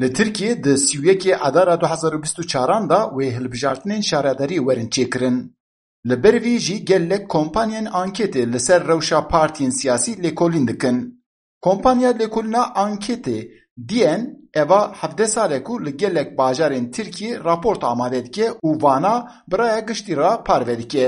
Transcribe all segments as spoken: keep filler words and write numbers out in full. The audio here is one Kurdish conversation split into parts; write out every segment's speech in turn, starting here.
Li Tirkiyê di sî û yekê Adara du hezar û bîst û çaran de wê hilbijartinên şaredarî werin çêkirin. Li ber vî jî gelek kompanyên anketê li ser rewşa partiyên siyasî lêkolîn dikin. Kompanya lêkolîna anketê D N eva hevdeh sal e ku li gelek bajarên Tirkiyê raport amade dike û vana bi raya giştî re parve dike.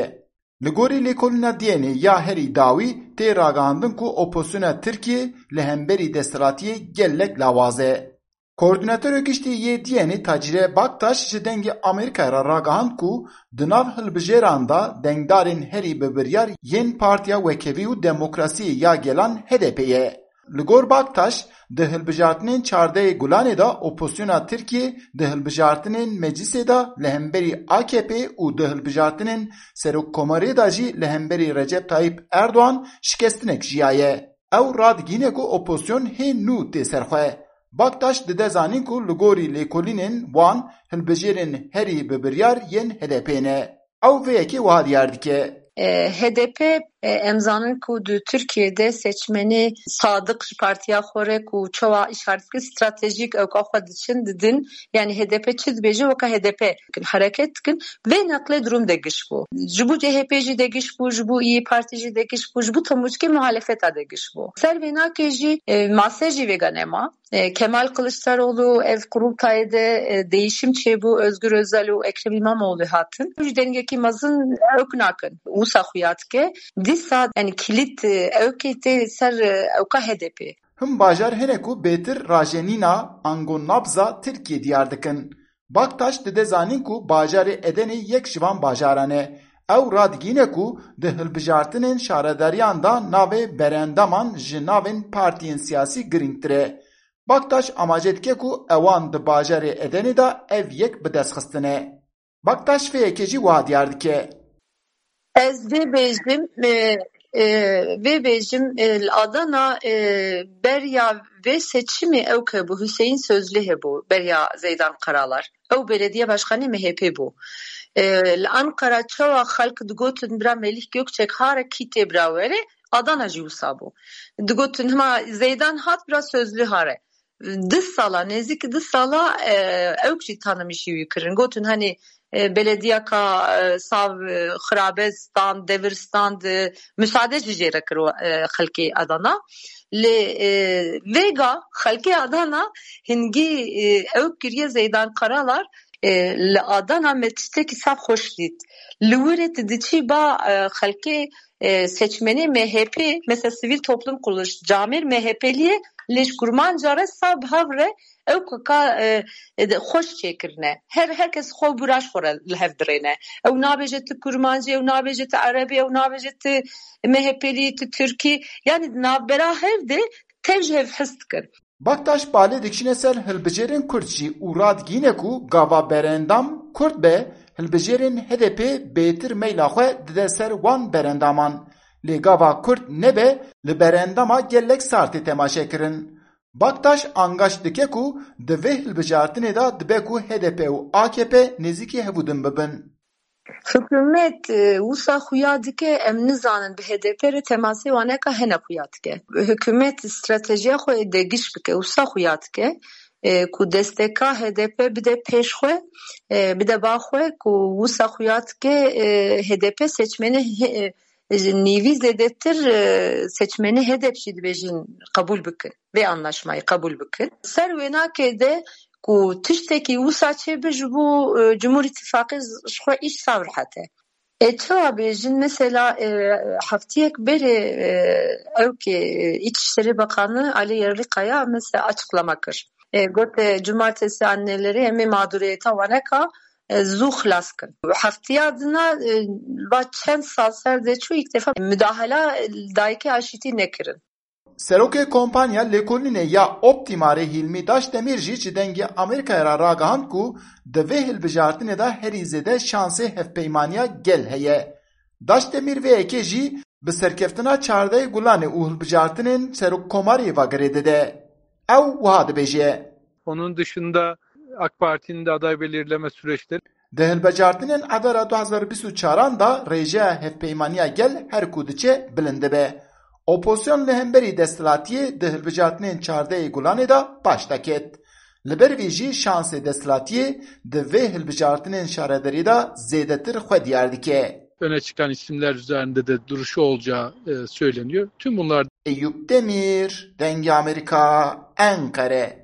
Li gorî lêkolîna D N'ê ya herî dawî tê ragihandin ku opozisyona Tirkiyê li hemberî desthilatiyê gelek lawaz e. Koordînatorê giştî yê D N'ê Tacîre Baktaş ji Dengê Amerîkayê re ragihand ku di nav hilbijêran de dengdarên herî bi biryar yên Partiya Wekhevî û Demokrasiyê ya Gelan H D P ye. Li gor Baktaş, di hilbijartinên çardehê Gulanê de opozisyona Tirkiyê di hilbijartinên meclisê de li hemberî A K P û di hilbijartinên serokkomariyê de jî li hemberî Recep Tayyip Erdogan şikestinek jiyaye. Ew radigihîne ku opozisyon hê nû tê ser xwe. Baktaş dide zanîn ku li gorî lêkolînên wan hilbijêrên herî bi biryar yên H D P ne. Ew vê yekê wiha diyar dike. E, H D P, e, em zanin ku di Tirkiyê de seçmenê sadiq ji partiya xwe re ku çawa îşaret dikin, stratejîk ewka xwe diçin didin. Yani H D P çi dibêje weka H D P dikin, hereket dikin. Vê neqlê durum de giş bû. Ji bo C H P jî de giş bû, ji bo İYİ Parti jî de giş bû, ji bo temûçkê muhalefeta de giş bû. Ser vê nakê jî, e, mase jî vêga nema. E, Kemal Kılıçdaroğlu ev kurultayê de, e, değişim çêbû, Özgür Özel û Ekrem İmamoğlu hatin. Ji dengekî mezin ewk nakin. Wisa xuya dike. Dîsa, yani, kilît, e, ewkê tê ser, e, ewka H D P. Him bajar hene ku bêtir rajenîna ango nabza Tirkiyê diyar dikin. Baktaş dide zanîn ku bajarê Edenê yek ji van bajaran e. Ew radigihîne ku di hilbijartinên şaredariyan de navê berendaman ji navên partiyên siyasî girîngtir e. Baktaş amaje dike ku ewan di bajarê Edenê de ev yek bi dest xistine. Baktaş vê yekê jî wiha diyar dike. Ez vê bêjim, e, e, vê bêjim, e, li Adana, e, beriya vê seçimê ew ke bû, Hüseyin Sözlü hebû, beriya Zeydan Karalar. Ew belediye başkanê M H P bû. E, li Ankara çawa xelk digotin bira Melih Gökçek hare, kî tê bira were, Adana jî wisa bû. Digotin hima Zeydan hat, bira Sözlü hare. Du sala, nêzîk du sala, e, ewk jî tanimîşî wî kirin. Gotin, hani, e, belediyeka, e, sav, e, xirabe stand, devir stand, e, misade jî jê re kir, e, xelkê Adana. Lê, e, vêga xelkê Adana hingî, e, ewk kiriye Zeydan Karalar, e, li Adana me tiştekî sav xweş dît. Li wir e tu diçî ba, e, xelkê, e, seçmenê M H P, mesela sivîl toplum kuruluş, camêr M H P'liyê, lê ji kurmanca re sav bi hev re ew kaka, e, e, de xweş çêkirine. Her, her kes xwe bûra ji xwe re li hev dirêne. Ew nabêje tu kurmancî, ew nabêje tu erebî, ew nabêje tu M H P'lî, tu tirkî. Yani di navbera hev de tev ji hev his dikin. Baktaş balê dikişîne ser hilbijêrên Kurd jî û radigihîne ku gava berendam Kurd be, hilbijêrên H D P bêtir meyla xwe dide ser wan berendaman. Lê gava Kurd nebe, li berendama gelek sar tê temaşe kirin. Baktaş angaşt dike ku di vê hilbijartinê de dibe ku H D P û A K P nêzîkî hevûdin bibin. Hikûmet, e, wisa xuya dike, em nizanin bi H D P re temasê waneka hene xuya dike. Hikûmet stratejiya xwe ê degiş bike, wisa xuya dike, e, ku desteka H D P bide pêş xwe, e, bide ba xwe, ku wisa xuya dike, e, H D P seçmenê he-, e, ji nîvî zêdetir, e, seçmenê H D P jî dibêjin qebûl bikin. Vê anlaşmayê qebûl bikin. Ser wênakê de ku tiştekî wisa çêbe ji bo, e, Cumhur Îttifaqê ji xwe îş sav rehet e. Ê çawa bêjin, mesela, e, heftiyek berê, e, ew ke, e, İçişleri Bakanı Ali Yerlikaya mesela açıklama kir. E, got, e, cumartesi anneleri em ê mağduriyeta waneka, e, zû xilas kin. Heftiya dina, e, va çend sal ser de çû ilk defa müdahale, e, dayikê aşitî nekirin. Serokê kompanya lêkolînê ya Optimarê Hîlmî Daşdemîr jî ji Dengê Amerîkayê re ragihand ku di vê hilbijartinê de herî zêde şansê hevpeymaniya gel heye. Daşdemîr vê yekê jî bi serkeftina çardehê Gulanê û hilbijartinên serokkomariyê ve girê dide. Ew wiha dibêje. Onun dışında AK Parti'nin de aday belirleme süreçleri Di hilbijartinên Adara du hezar û bîst û çaran de rêjeya hevpeymaniya gel her ku diçe bilind dibe. Opozisyon li hemberî desthilatiyê di hilbijartinên çardehê Gulanê de paş de ket. Li ber vê jî şansê desthilatiyê di vê hilbijartinên şaredarî de zêdetir xwe diyar dike. Öne çıkan isimler üzerinde de duruşu olacağı e, söyleniyor. Tüm bunlar Eyüp Demir, Dengê Amerîka, Enqere.